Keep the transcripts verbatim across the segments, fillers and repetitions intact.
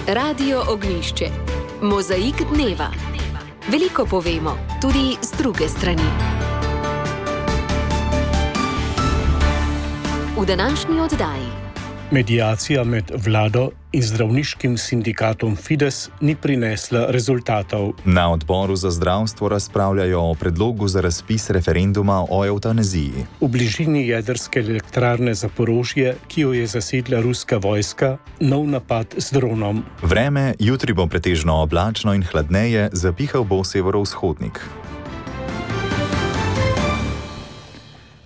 Radio Ognjišče. Mozaik dneva. Veliko povemo, tudi z druge strani. V današnji oddaji. Mediacija med vlado in zdravniškim sindikatom Fides ni prinesla rezultatov. Na odboru za zdravstvo razpravljajo o predlogu za razpis referenduma o evtanaziji. V bližini jedrske elektrarne Zaporožje, ki jo je zasedla ruska vojska, nov napad z dronom. Vreme, jutri bo pretežno oblačno in hladneje, zapihal bo severovzhodnik.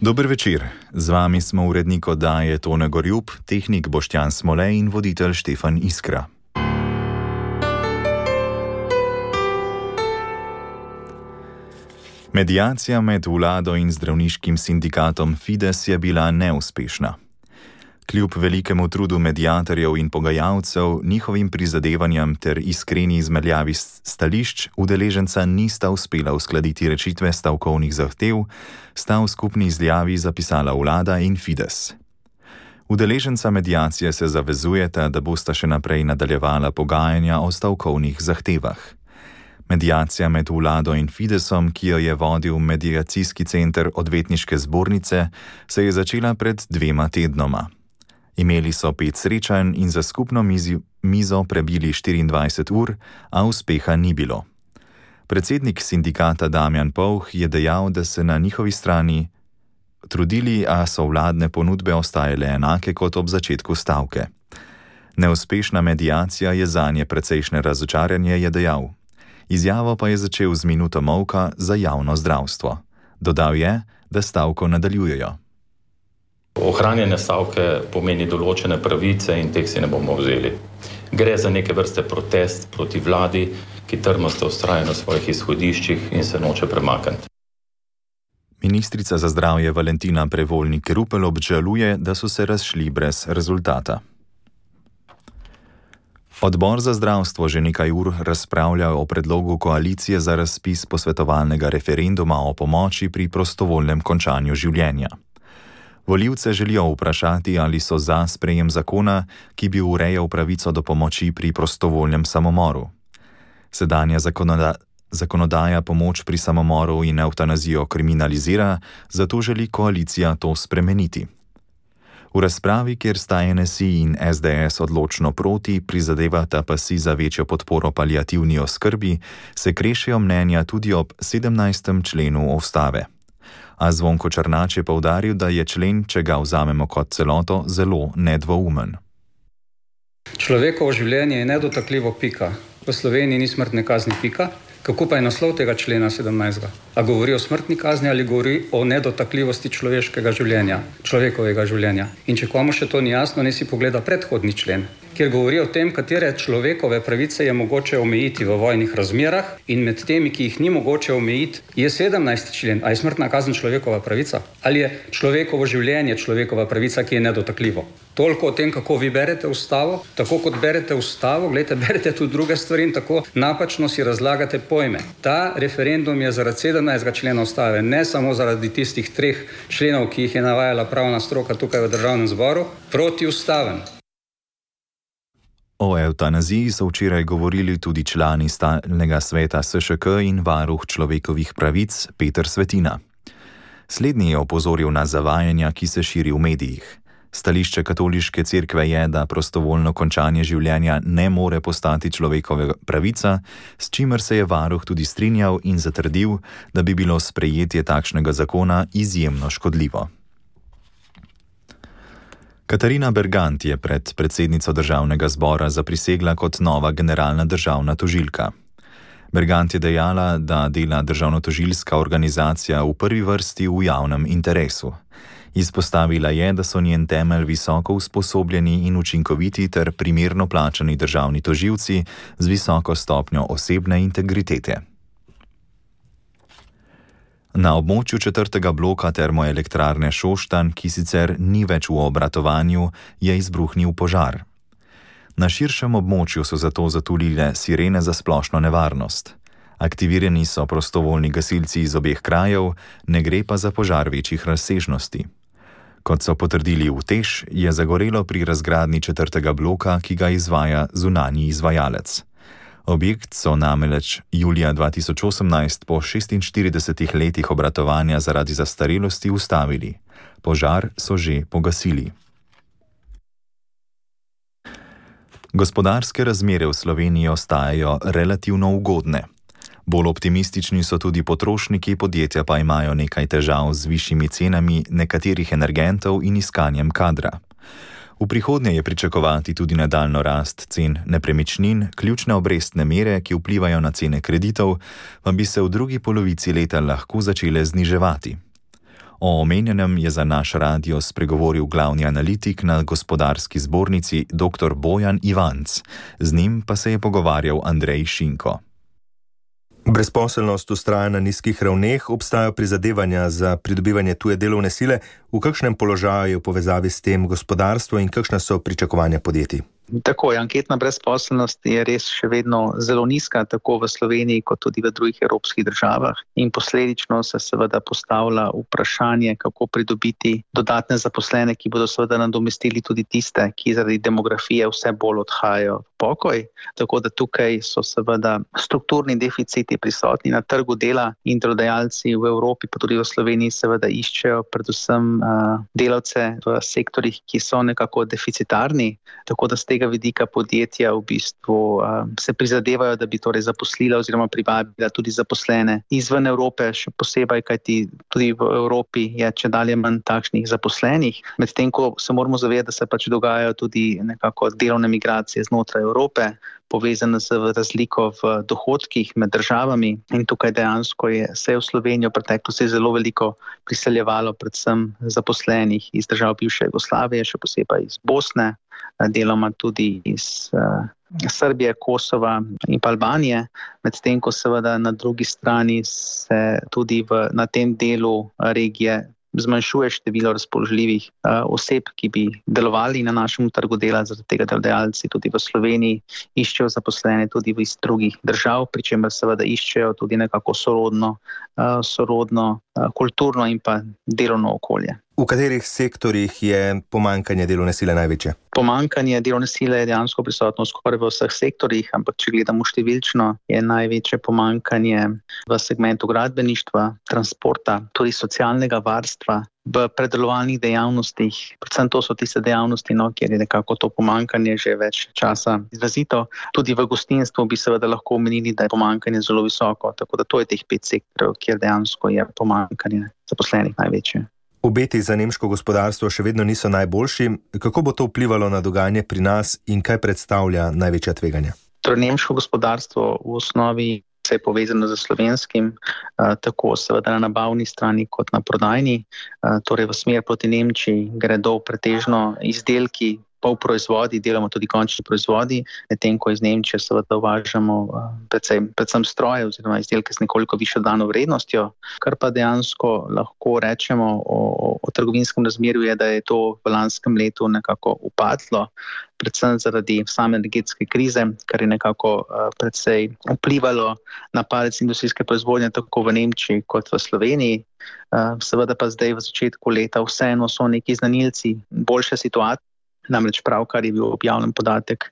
Dober večer, z vami smo urednik oddaje Tone Gorjup, tehnik Boštjan Smolej in voditelj Štefan Iskra. Mediacija med vlado in zdravniškim sindikatom Fides je bila neuspešna. Kljub velikemu trudu mediatorjev in pogajalcev, njihovim prizadevanjem ter iskreni izmenjavi stališč, udeleženca nista uspela uskladiti rešitve stavkovnih zahtev, sta v skupni izjavi zapisala vlada in Fides. Udeleženca mediacije se zavezujeta, da bosta še naprej nadaljevala pogajanja o stavkovnih zahtevah. Mediacija med vlado in Fidesom, ki jo je vodil mediacijski center odvetniške zbornice, se je začela pred dvema tednoma. Imeli so pet srečanj in za skupno mizi, mizo prebili štiriindvajset ur, a uspeha ni bilo. Predsednik sindikata Damjan Povh je dejal, da se na njihovi strani trudili, a so vladne ponudbe ostajale enake kot ob začetku stavke. Neuspešna mediacija je zanje precejšnje razočaranje, je dejal. Izjavo pa je začel z minuto molka za javno zdravstvo. Dodal je, da stavko nadaljujejo. Ohranjanje stavke pomeni določene pravice in teh si ne bomo vzeli. Gre za neke vrste protest proti vladi, ki trmasto vztraja na svojih izhodiščih in se noče premakniti. Ministrica za zdravje Valentina Prevolnik-Rupel obžaluje, da so se razšli brez rezultata. Odbor za zdravstvo že nekaj ur razpravlja o predlogu koalicije za razpis posvetovalnega referenduma o pomoči pri prostovoljnem končanju življenja. Volivce želijo vprašati, ali so za sprejem zakona, ki bi urejal pravico do pomoči pri prostovoljnem samomoru. Sedanja zakonoda, zakonodaja pomoč pri samomoru in evtanazijo kriminalizira, zato želi koalicija to spremeniti. V razpravi, kjer sta N S I in S D S odločno proti, prizadevata pa si za večjo podporo paliativni oskrbi, se krešejo mnenja tudi ob sedemnajstem členu ustave. A Zvonko Černač je poudaril, da je člen, če ga vzamemo kot celoto, zelo nedvoumen. Človekovo življenje je nedotakljivo pika. V Sloveniji ni smrtne kazni pika. Kako pa je naslov tega člena sedemnajstega? A govori o smrtni kazni ali govori o nedotakljivosti človeškega življenja, človekovega življenja? In če komu še to ni jasno, naj si pogleda predhodni člen, kjer govori o tem, katere človekove pravice je mogoče omejiti v vojnih razmerah, in med temi, ki jih ni mogoče omejiti, je sedemnajsti člen. A je smrtna kazen človekova pravica? Ali je človekovo življenje človekova pravica, ki je nedotakljivo? Toliko o tem, kako vi berete ustavo, tako kot berete ustavo, gledajte, berete tudi druge stvari in tako napačno si razlagate pojme. Ta referendum je zaradi sedemnajstega člena ustave, ne samo zaradi tistih treh členov, ki jih je navajala pravna stroka tukaj v Državnem zboru, protiustaven. O evtanaziji so včeraj govorili tudi člani stalnega sveta S Š K in varuh človekovih pravic Peter Svetina. Slednji je opozoril na zavajanja, ki se širi v medijih. Stališče katoliške cerkve je, da prostovoljno končanje življenja ne more postati človekova pravica, s čimer se je varuh tudi strinjal in zatrdil, da bi bilo sprejetje takšnega zakona izjemno škodljivo. Katarina Bergant je pred predsednico Državnega zbora zaprisegla kot nova generalna državna tožilka. Bergant je dejala, da dela državnotožilska organizacija v prvi vrsti v javnem interesu. Izpostavila je, da so njen temelj visoko usposobljeni in učinkoviti ter primerno plačani državni tožilci z visoko stopnjo osebne integritete. Na območju četrtega bloka termoelektrarne Šoštanj, ki sicer ni več v obratovanju, je izbruhnil požar. Na širšem območju so zato zatulile sirene za splošno nevarnost. Aktivirani so prostovoljni gasilci iz obeh krajev, ne gre pa za požar večjih razsežnosti. Kot so potrdili v Teš, je zagorelo pri razgradnji četrtega bloka, ki ga izvaja zunanji izvajalec. Objekt so namreč julija dva tisoč osemnajst po šestinštiridesetih letih obratovanja zaradi zastarelosti ustavili. Požar so že pogasili. Gospodarske razmere v Sloveniji ostajajo relativno ugodne. Bolj optimistični so tudi potrošniki, podjetja pa imajo nekaj težav z višjimi cenami nekaterih energentov in iskanjem kadra. V prihodnje je pričakovati tudi nadaljnjo rast cen nepremičnin, ključne obrestne mere, ki vplivajo na cene kreditov, pa bi se v drugi polovici leta lahko začele zniževati. O omenjenem je za naš radio spregovoril glavni analitik na Gospodarski zbornici dr. Bojan Ivanc. Z njim pa se je pogovarjal Andrej Šinko. Brezposelnost vztraja na nizkih ravneh, obstajajo prizadevanja za pridobivanje tuje delovne sile. V kakšnem položaju je v povezavi s tem gospodarstvo in kakšna so pričakovanja podjetij? Tako je, anketna brezposelnost je res še vedno zelo nizka, tako v Sloveniji kot tudi v drugih evropskih državah, in posledično se seveda postavlja vprašanje, kako pridobiti dodatne zaposlene, ki bodo seveda nadomestili tudi tiste, ki zaradi demografije vse bolj odhajajo v pokoj. Tako da tukaj so seveda strukturni deficiti prisotni na trgu dela in delodajalci v Evropi, pa tudi v Sloveniji seveda iščejo predvsem uh, delavce v sektorjih, ki so nekako deficitarni, tako da z tega vidika podjetja v bistvu uh, se prizadevajo, da bi torej zaposlila oziroma privabila tudi zaposlene izven Evrope, še posebej, kajti tudi v Evropi je čedalje manj takšnih zaposlenih, medtem ko se moramo zavedati, da se pač dogajajo tudi nekako delovne migracije znotraj Evrope, povezane z razliko v dohodkih med državami, in tukaj dejansko je se v Slovenijo v preteklosti zelo veliko priseljevalo predvsem zaposlenih iz držav bivše Jugoslavije, še posebej iz Bosne, deloma tudi iz uh, Srbije, Kosova in pa Albanije, medtem ko seveda na drugi strani se tudi v, na tem delu regije zmanjšuje število razpoložljivih uh, oseb, ki bi delovali na našem trgu dela, zaradi tega delodajalci tudi v Sloveniji iščejo zaposlene tudi iz drugih držav, pri čemer seveda iščejo tudi nekako sorodno, uh, sorodno uh, kulturno in pa delovno okolje. V katerih sektorjih je pomanjkanje delovne sile največje? Pomanjkanje delovne sile je dejansko prisotno skoraj v vseh sektorjih, ampak če gledamo številčno, je največje pomanjkanje v segmentu gradbeništva, transporta, tudi socialnega varstva, v predelovalnih dejavnostih. Predvsem to so tiste dejavnosti, no, kjer je nekako to pomanjkanje že več časa izrazito. Tudi v gostinstvu bi seveda lahko omenili, da je pomanjkanje zelo visoko, tako da to je teh pet sektorov, kjer dejansko je pomanjkanje zaposlenih največje. Obeti za nemško gospodarstvo še vedno niso najboljši. Kako bo to vplivalo na dogajanje pri nas in kaj predstavlja največja tveganja? Torej, nemško gospodarstvo v osnovi se je povezano z slovenskim, tako seveda na nabavni strani kot na prodajni. Torej, v smer proti Nemčiji gredo pretežno izdelki, pol proizvodi, delamo tudi končni proizvodi, medtem ko iz Nemčije seveda uvažamo predvsem, predvsem stroje oziroma izdelke z nekoliko višjo dano vrednostjo, kar pa dejansko lahko rečemo o, o trgovinskem razmerju je, da je to v lanskem letu nekako upadlo, predvsem zaradi same energetske krize, kar je nekako uh, predvsej vplivalo na padec industrijske proizvodnje tako v Nemčiji kot v Sloveniji. Uh, seveda pa zdaj v začetku leta vseeno so neki znanilci boljše situacije. Namreč pravkar je bil objavljen podatek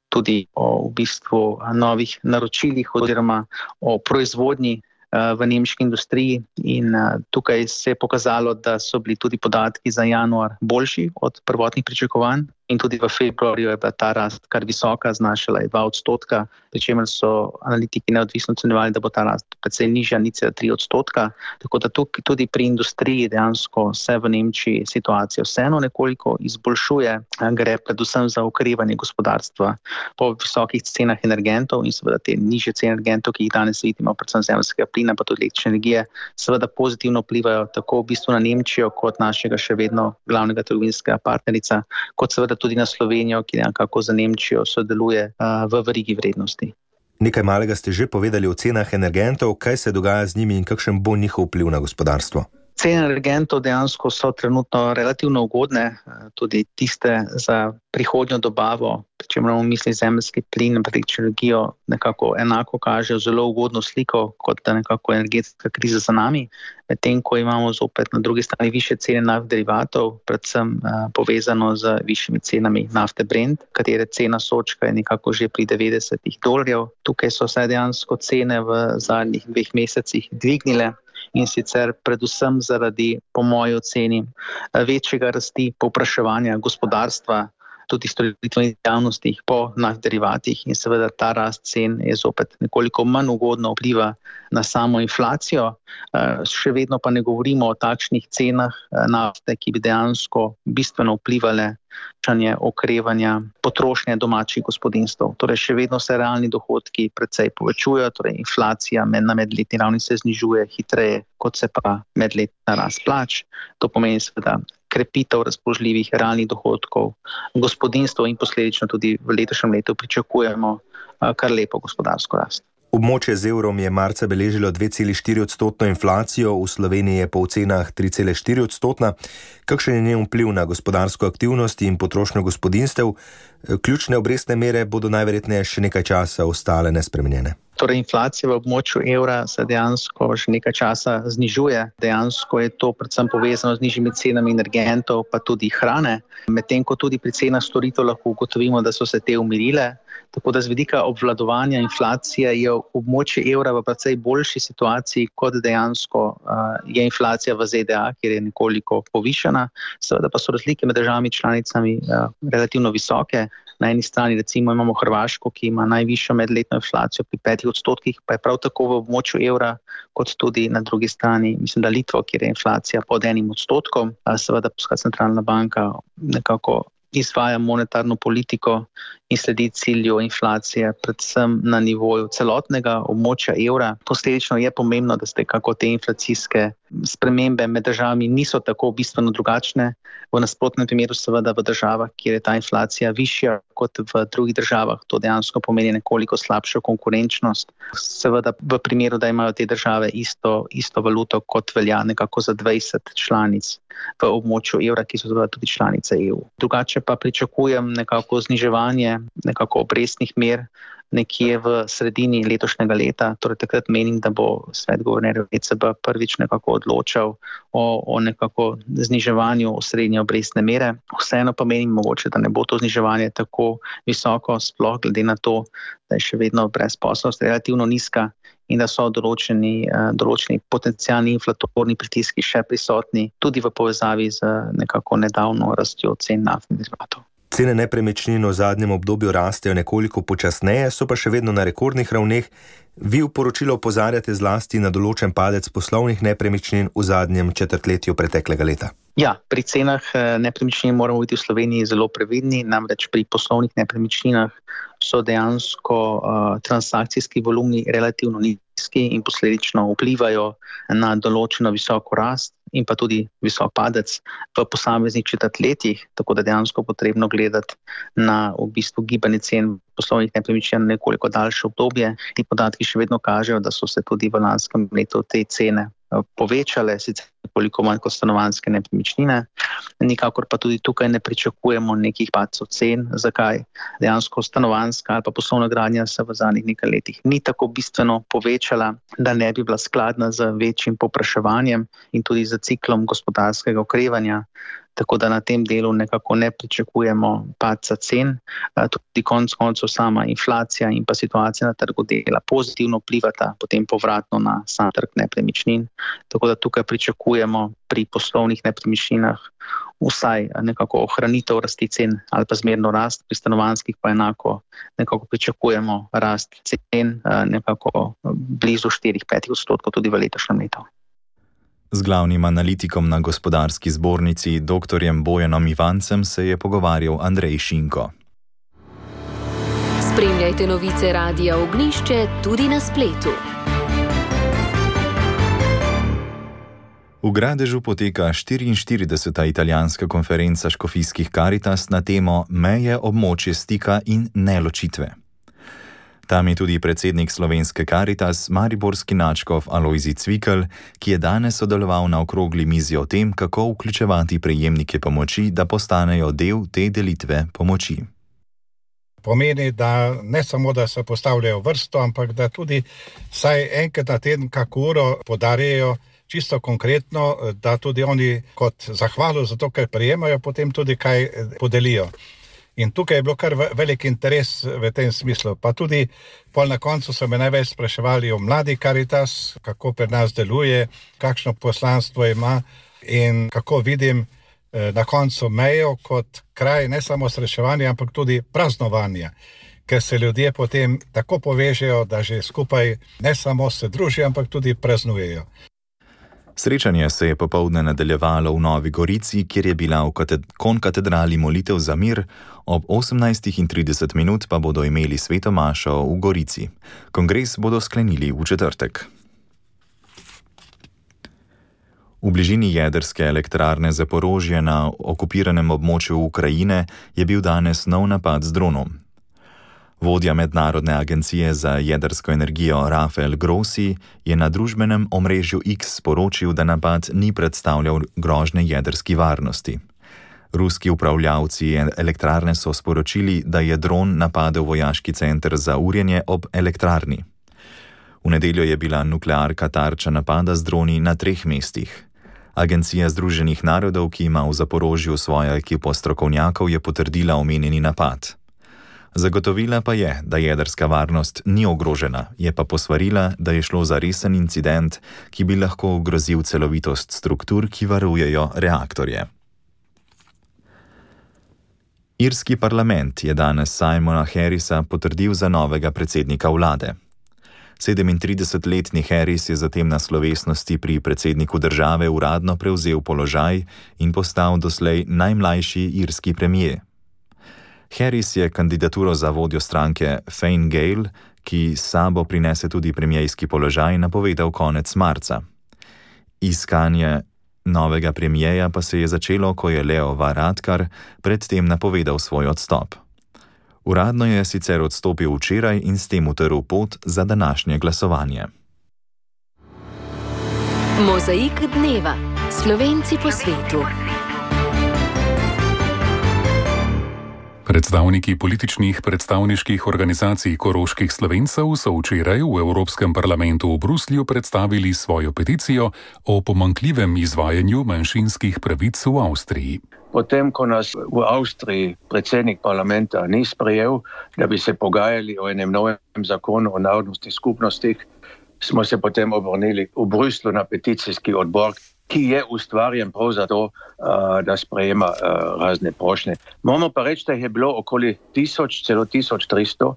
tudi o v bistvu novih naročilih oziroma o proizvodnji v nemški industriji, in tukaj se je pokazalo, da so bili tudi podatki za januar boljši od prvotnih pričakovanj, in tudi v februarju je bila ta rast kar visoka, znašala je dva odstotka, pri čemer so analitiki neodvisno ocenjevali, da bo ta rast precej nižja, nič celih tri odstotka. Tako da tukaj tudi pri industriji dejansko se v Nemčiji situacija vseeno nekoliko izboljšuje, gre predvsem za okrevanje gospodarstva po visokih cenah energentov in seveda te nižje cene energentov, ki jih danes vidimo, predvsem zemeljskega plina, pa tudi električne energije, seveda pozitivno vplivajo tako v bistvu na Nemčijo kot našega še vedno glavnega trgovinskega partnerica, kot seveda tudi na Slovenijo, ki nekako za Nemčijo sodeluje uh, v verigi vrednosti. Nekaj malega ste že povedali o cenah energentov, kaj se dogaja z njimi in kakšen bo njihov vpliv na gospodarstvo? Cene energentov dejansko so trenutno relativno ugodne, tudi tiste za prihodnjo dobavo, če imamo v misli zemeljski plin in električno energijo, nekako enako kažejo zelo ugodno sliko, kot da nekako energetska kriza za nami, medtem ko imamo zopet na drugi strani više cene naftnih derivatov, predvsem uh, povezano z višjimi cenami nafte Brent, katere cena sočka je nekako že pri devetdesetih dolarjev. Tukaj so se dejansko cene v zadnjih dveh mesecih dvignile. In sicer predvsem zaradi, po moji oceni, večjega rasti povpraševanja gospodarstva, tudi storitvenih dejavnostih po naftnih derivatih in seveda ta rast cen je zopet nekoliko manj ugodno vpliva na samo inflacijo. Še vedno pa ne govorimo o takšnih cenah nafte, ki bi dejansko bistveno vplivale na okrevanja potrošnje domačih gospodinjstev. Torej še vedno se realni dohodki precej povečujejo, torej inflacija na medletni ravni se znižuje hitreje, kot se pa medletna rast plač. To pomeni seveda krepitev razpoložljivih realnih dohodkov gospodinjstev in posledično tudi v letošnjem letu pričakujemo kar lepo gospodarsko rast. Območje z evrom je marca beležilo dve celi štiri odstotno inflacijo, v Sloveniji je po ocenah tri cele štiri odstotna. Kakšen je njen vpliv na gospodarsko aktivnost in potrošnjo gospodinjstev? Ključne obrestne mere bodo najverjetneje še nekaj časa ostale nespremenjene. Torej, inflacija v območju evra se dejansko že nekaj časa znižuje. Dejansko je to predvsem povezano z nižjimi cenami energentov, pa tudi hrane, medtem ko tudi pri cenah storitev lahko ugotovimo, da so se te umirile. Tako da z vidika obvladovanja inflacije je območje evra v precej boljši situaciji, kot dejansko uh, je inflacija v Z D A, kjer je nekoliko povišana. Seveda pa so razlike med državami članicami uh, relativno visoke. Na eni strani recimo imamo Hrvaško, ki ima najvišjo medletno inflacijo pri petih odstotkih, pa je prav tako v območju evra, kot tudi na drugi strani, mislim, da Litva, kjer je inflacija pod enim odstotkom. Uh, seveda Evropska centralna banka nekako izvaja monetarno politiko in sledi cilju inflacije, predvsem na nivoju celotnega območja evra. Posledično je pomembno, da ste kako te inflacijske spremembe med državami niso tako bistveno drugačne. V nasprotnem primeru seveda v državah, kjer je ta inflacija višja kot v drugih državah, to dejansko pomeni nekoliko slabšo konkurenčnost. Seveda v primeru, da imajo te države isto, isto valuto, kot velja nekako za dvajset članic v območju evra, ki so tudi članice E U. Drugače pa pričakujem nekako zniževanje nekako obrestnih mer nekje v sredini letošnjega leta. Torej takrat menim, da bo svet guvernerjev E C B prvič nekako odločal o, o nekako zniževanju osrednje obrestne mere. Vseeno pa menim mogoče, da ne bo to zniževanje tako visoko, sploh glede na to, da je še vedno brezposelnost relativno nizka in da so določeni, določeni potencialni inflatorni pritiski še prisotni, tudi v povezavi z nekako nedavno rastjo cen naftnih derivatov. Cene nepremičnin v zadnjem obdobju rastejo nekoliko počasneje, so pa še vedno na rekordnih ravneh. Vi v poročilu opozarjate zlasti na določen padec poslovnih nepremičnin v zadnjem četrtletju preteklega leta. Ja, pri cenah nepremičnin moramo biti v Sloveniji zelo previdni, namreč pri poslovnih nepremičninah so dejansko uh, transakcijski volumni relativno nizki in posledično vplivajo na določeno visoko rast in pa tudi visok padec v posameznih četrtletjih, tako da dejansko potrebno gledati na v bistvu gibanje cen poslovnih nepremičnin na nekoliko daljše obdobje. Ti podatki še vedno kažejo, da so se tudi v lanskem letu te cene povečale, sicer nekoliko manj kot stanovanjske nepremičnine. Nikakor pa tudi tukaj ne pričakujemo nekih padcev cen. Zakaj? Dejansko stanovanjska ali pa poslovna gradnja se v zadnjih nekaj letih ni tako bistveno povečala, da ne bi bila skladna z večjim povpraševanjem in tudi z ciklom gospodarskega okrevanja. Tako da na tem delu nekako ne pričakujemo padca cen. Tudi konec koncev sama inflacija in pa situacija na trgu dela pozitivno vplivata potem povratno na sam trg nepremičnin. Tako da tukaj pričakujemo pri poslovnih nepremičninah vsaj nekako ohranitev rasti cen ali pa zmerno rast, pri stanovanjskih pa enako nekako pričakujemo rast cen nekako blizu štiri do pet odstotkov tudi v letošnjem letu. Z glavnim analitikom na Gospodarski zbornici doktorjem Bojanom Ivancem se je pogovarjal Andrej Šinko. Spremljajte novice Radia Ognjišče tudi na spletu. V Gradežu poteka štiriinštirideseta italijanska konferenca škofijskih Karitas na temo Meje, območje stika in neločitve. Tam je tudi predsednik slovenske Karitas, mariborski nadškof Alojzij Cvikl, ki je danes sodeloval na okrogli mizi o tem, kako vključevati prejemnike pomoči, da postanejo del te delitve pomoči. Pomeni, da ne samo, da se postavljajo vrsto, ampak da tudi vsaj enkrat na teden kako uro podarjajo čisto konkretno, da tudi oni kot zahvalo za to, kar prejemajo, potem tudi kaj podelijo. In tukaj je bilo kar velik interes v tem smislu. Pa tudi pol na koncu so me največ spraševali o mladi Karitas, kako pri nas deluje, kakšno poslanstvo ima in kako vidim na koncu mejo kot kraj ne samo srečevanja, ampak tudi praznovanja, ker se ljudje potem tako povežejo, da že skupaj ne samo se družijo, ampak tudi praznujejo. Srečanje se je popoldne nadaljevalo v Novi Gorici, kjer je bila v konkatedrali molitev za mir, ob osemnajstih trideset minut pa bodo imeli sveto mašo v Gorici. Kongres bodo sklenili v četrtek. V bližini jedrske elektrarne Zaporožje na okupiranem območju Ukrajine je bil danes nov napad z dronom. Vodja Mednarodne agencije za jedrsko energijo Rafael Grossi je na družbenem omrežju X sporočil, da napad ni predstavljal grožnje jedrski varnosti. Ruski upravljavci elektrarne so sporočili, da je dron napadel vojaški center za urjenje ob elektrarni. V nedeljo je bila nuklearka tarča napada z droni na treh mestih. Agencija Združenih narodov, ki ima v Zaporožju svojo ekipo strokovnjakov, je potrdila omenjeni napad. Zagotovila pa je, da jedrska varnost ni ogrožena, je pa posvarila, da je šlo za resen incident, ki bi lahko ogrozil celovitost struktur, ki varujejo reaktorje. Irski parlament je danes Simona Harrisa potrdil za novega predsednika vlade. sedemintridesetletni Harris je zatem na slovesnosti pri predsedniku države uradno prevzel položaj in postal doslej najmlajši irski premier. Harris je kandidaturo za vodjo stranke Fine Gael, ki s sabo prinese tudi premierski položaj, napovedal konec marca. Iskanje novega premierja pa se je začelo, ko je Leo Varadkar predtem napovedal svoj odstop. Uradno je sicer odstopil včeraj in s tem utrl pot za današnje glasovanje. Mozaik dneva. Slovenci po svetu. Predstavniki političnih predstavniških organizacij koroških Slovencev so včeraj v Evropskem parlamentu v Bruslju predstavili svojo peticijo o pomanjkljivem izvajanju manjšinskih pravic v Avstriji. Potem, ko nas v Avstriji predsednik parlamenta ni sprejel, da bi se pogajali o enem novem zakonu o narodnostnih skupnostih, smo se potem obrnili v Bruslu na peticijski odbor, ki je ustvarjen prav zato, da sprejema razne prošnje. Moramo pa reči, da je bilo okoli tisoč, celo tisoč tristo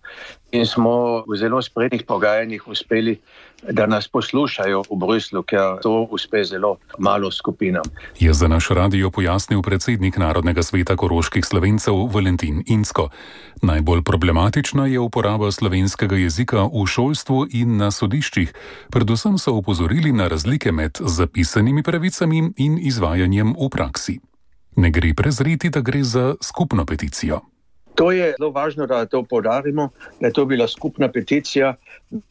in smo v zelo spretnih pogajanjih uspeli, da nas poslušajo v Bruslu, ker to uspe zelo malo skupinam. Je za naš radio pojasnil predsednik Narodnega sveta koroških Slovencev Valentin Incko. Najbolj problematična je uporaba slovenskega jezika v šolstvu in na sodiščih. Predvsem so opozorili na razlike med zapisanimi pravicami in izvajanjem v praksi. Ne gre prezreti, da gre za skupno peticijo. To je zelo važno, da to poudarimo, da je to bila skupna peticija,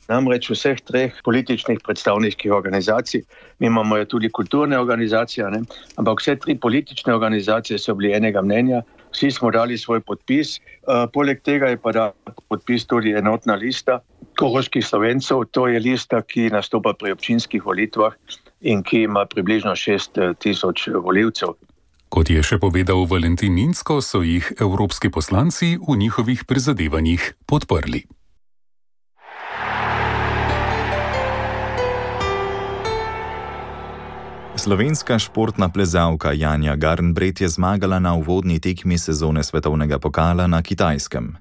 namreč vseh treh političnih predstavniških organizacij. Mi imamo tudi kulturne organizacije, ne? Ampak vse tri politične organizacije so bili enega mnenja, vsi smo dali svoj podpis, uh, poleg tega je pa da podpis tudi enotna lista koroških Slovencev, to je lista, ki nastopa pri občinskih volitvah in ki ima približno šest tisoč volivcev. Kot je še povedal Valentin Incko, so jih evropski poslanci v njihovih prizadevanjih podprli. Slovenska športna plezalka Janja Garnbret je zmagala na uvodni tekmi sezone svetovnega pokala na Kitajskem.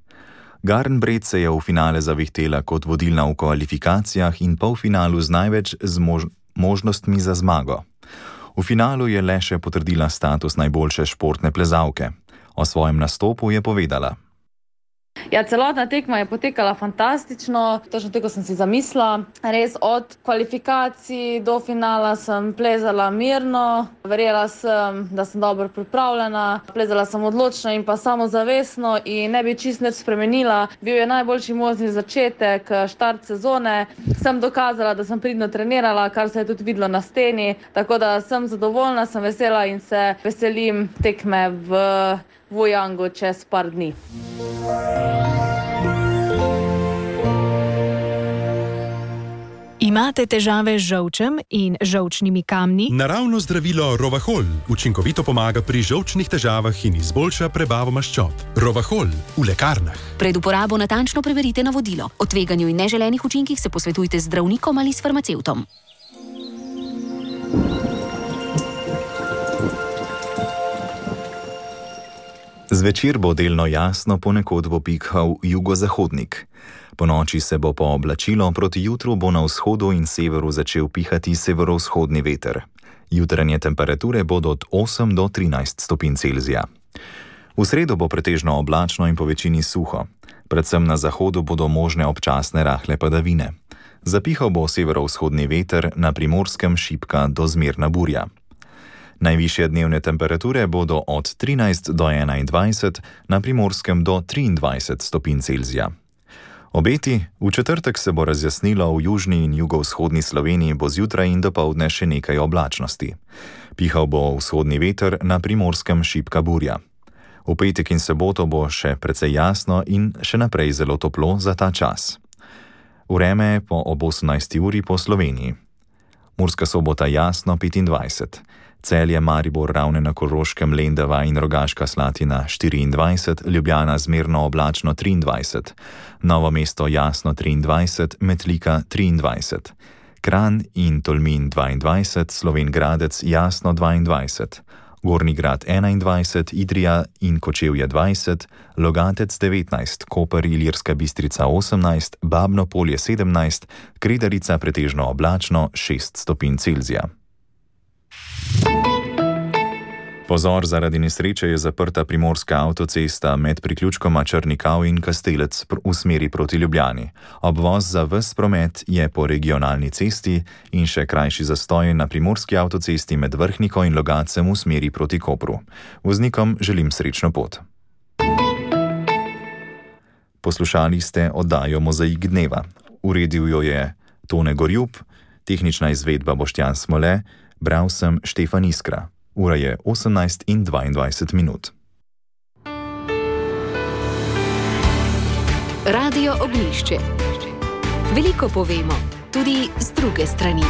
Garnbret se je v finale zavihtela kot vodilna v kvalifikacijah in polfinalu z največ z mož- možnostmi za zmago. V finalu je le še potrdila status najboljše športne plezalke. O svojem nastopu je povedala. Ja, celotna tekma je potekala fantastično, točno tako sem si zamislila. Res od kvalifikacij do finala sem plezala mirno, verjela sem, da sem dobro pripravljena, plezala sem odločno in pa samozavestno in ne bi čisto nič spremenila. Bil je najboljši možni začetek, štart sezone. Sem dokazala, da sem pridno trenirala, kar se je tudi videlo na steni, tako da sem zadovoljna, sem vesela in se veselim tekme v Vujangu čez par dni. Imate težave z žolčem in žolčnimi kamni? Naravno zdravilo Rovahol učinkovito pomaga pri žolčnih težavah in izboljša prebavo maščob. Rovahol v lekarnah. Pred uporabo natančno preverite navodilo. O tveganju in neželenih učinkih se posvetujte z zdravnikom ali s farmacevtom. Zvečer bo delno jasno, ponekod bo pihal jugozahodnik. Po noči se bo pooblačilo, proti jutru bo na vzhodu in severu začel pihati severovzhodni veter. Jutranje temperature bodo od osem do trinajst stopinj Celzija. V sredo bo pretežno oblačno in po večini suho. Predvsem na zahodu bodo možne občasne rahle padavine. Zapihal bo severovzhodni veter, na Primorskem šibka do zmerna burja. Najvišje dnevne temperature bodo od trinajst do enaindvajset, na Primorskem do triindvajset stopinj Celzija. Obeti: v četrtek se bo razjasnilo, v južni in jugovzhodni Sloveniji bo zjutraj in dopoldne še nekaj oblačnosti. Pihal bo vzhodni veter, na Primorskem šibka burja. V petek in soboto bo še precej jasno in še naprej zelo toplo za ta čas. Vreme po ob osemnajsti uri po Sloveniji. Murska Sobota jasno petindvajset. Celje, Maribor, Ravne na Koroškem, Lendava in Rogaška Slatina štiriindvajset, Ljubljana zmerno oblačno triindvajset, Novo mesto jasno triindvajset, Metlika triindvajset, Kranj in Tolmin dvaindvajset, Slovenj Gradec jasno dvaindvajset, Gornji Grad enaindvajset, Idrija in Kočevje dvajset, Logatec devetnajst, Koper, Ilirska Bistrica osemnajst, Babno Polje sedemnajst, Kredarica pretežno oblačno šest stopinj Celzija. Pozor, zaradi nesreče je zaprta primorska avtocesta med priključkoma Črnikav in Kastelec v smeri proti Ljubljani. Obvoz za ves promet je po regionalni cesti in še krajši zastoj na primorski avtocesti med Vrhniko in Logatcem v smeri proti Kopru. Voznikom želim srečno pot. Poslušali ste oddajo Mozaik dneva. Uredil jo je Tone Gorjub, tehnična izvedba Boštjan Smole, bral sem Štefan Iskra. Ura je osemnajst in dvaindvajset minut. Radio Ognjišče. Veliko povemo, tudi z druge strani.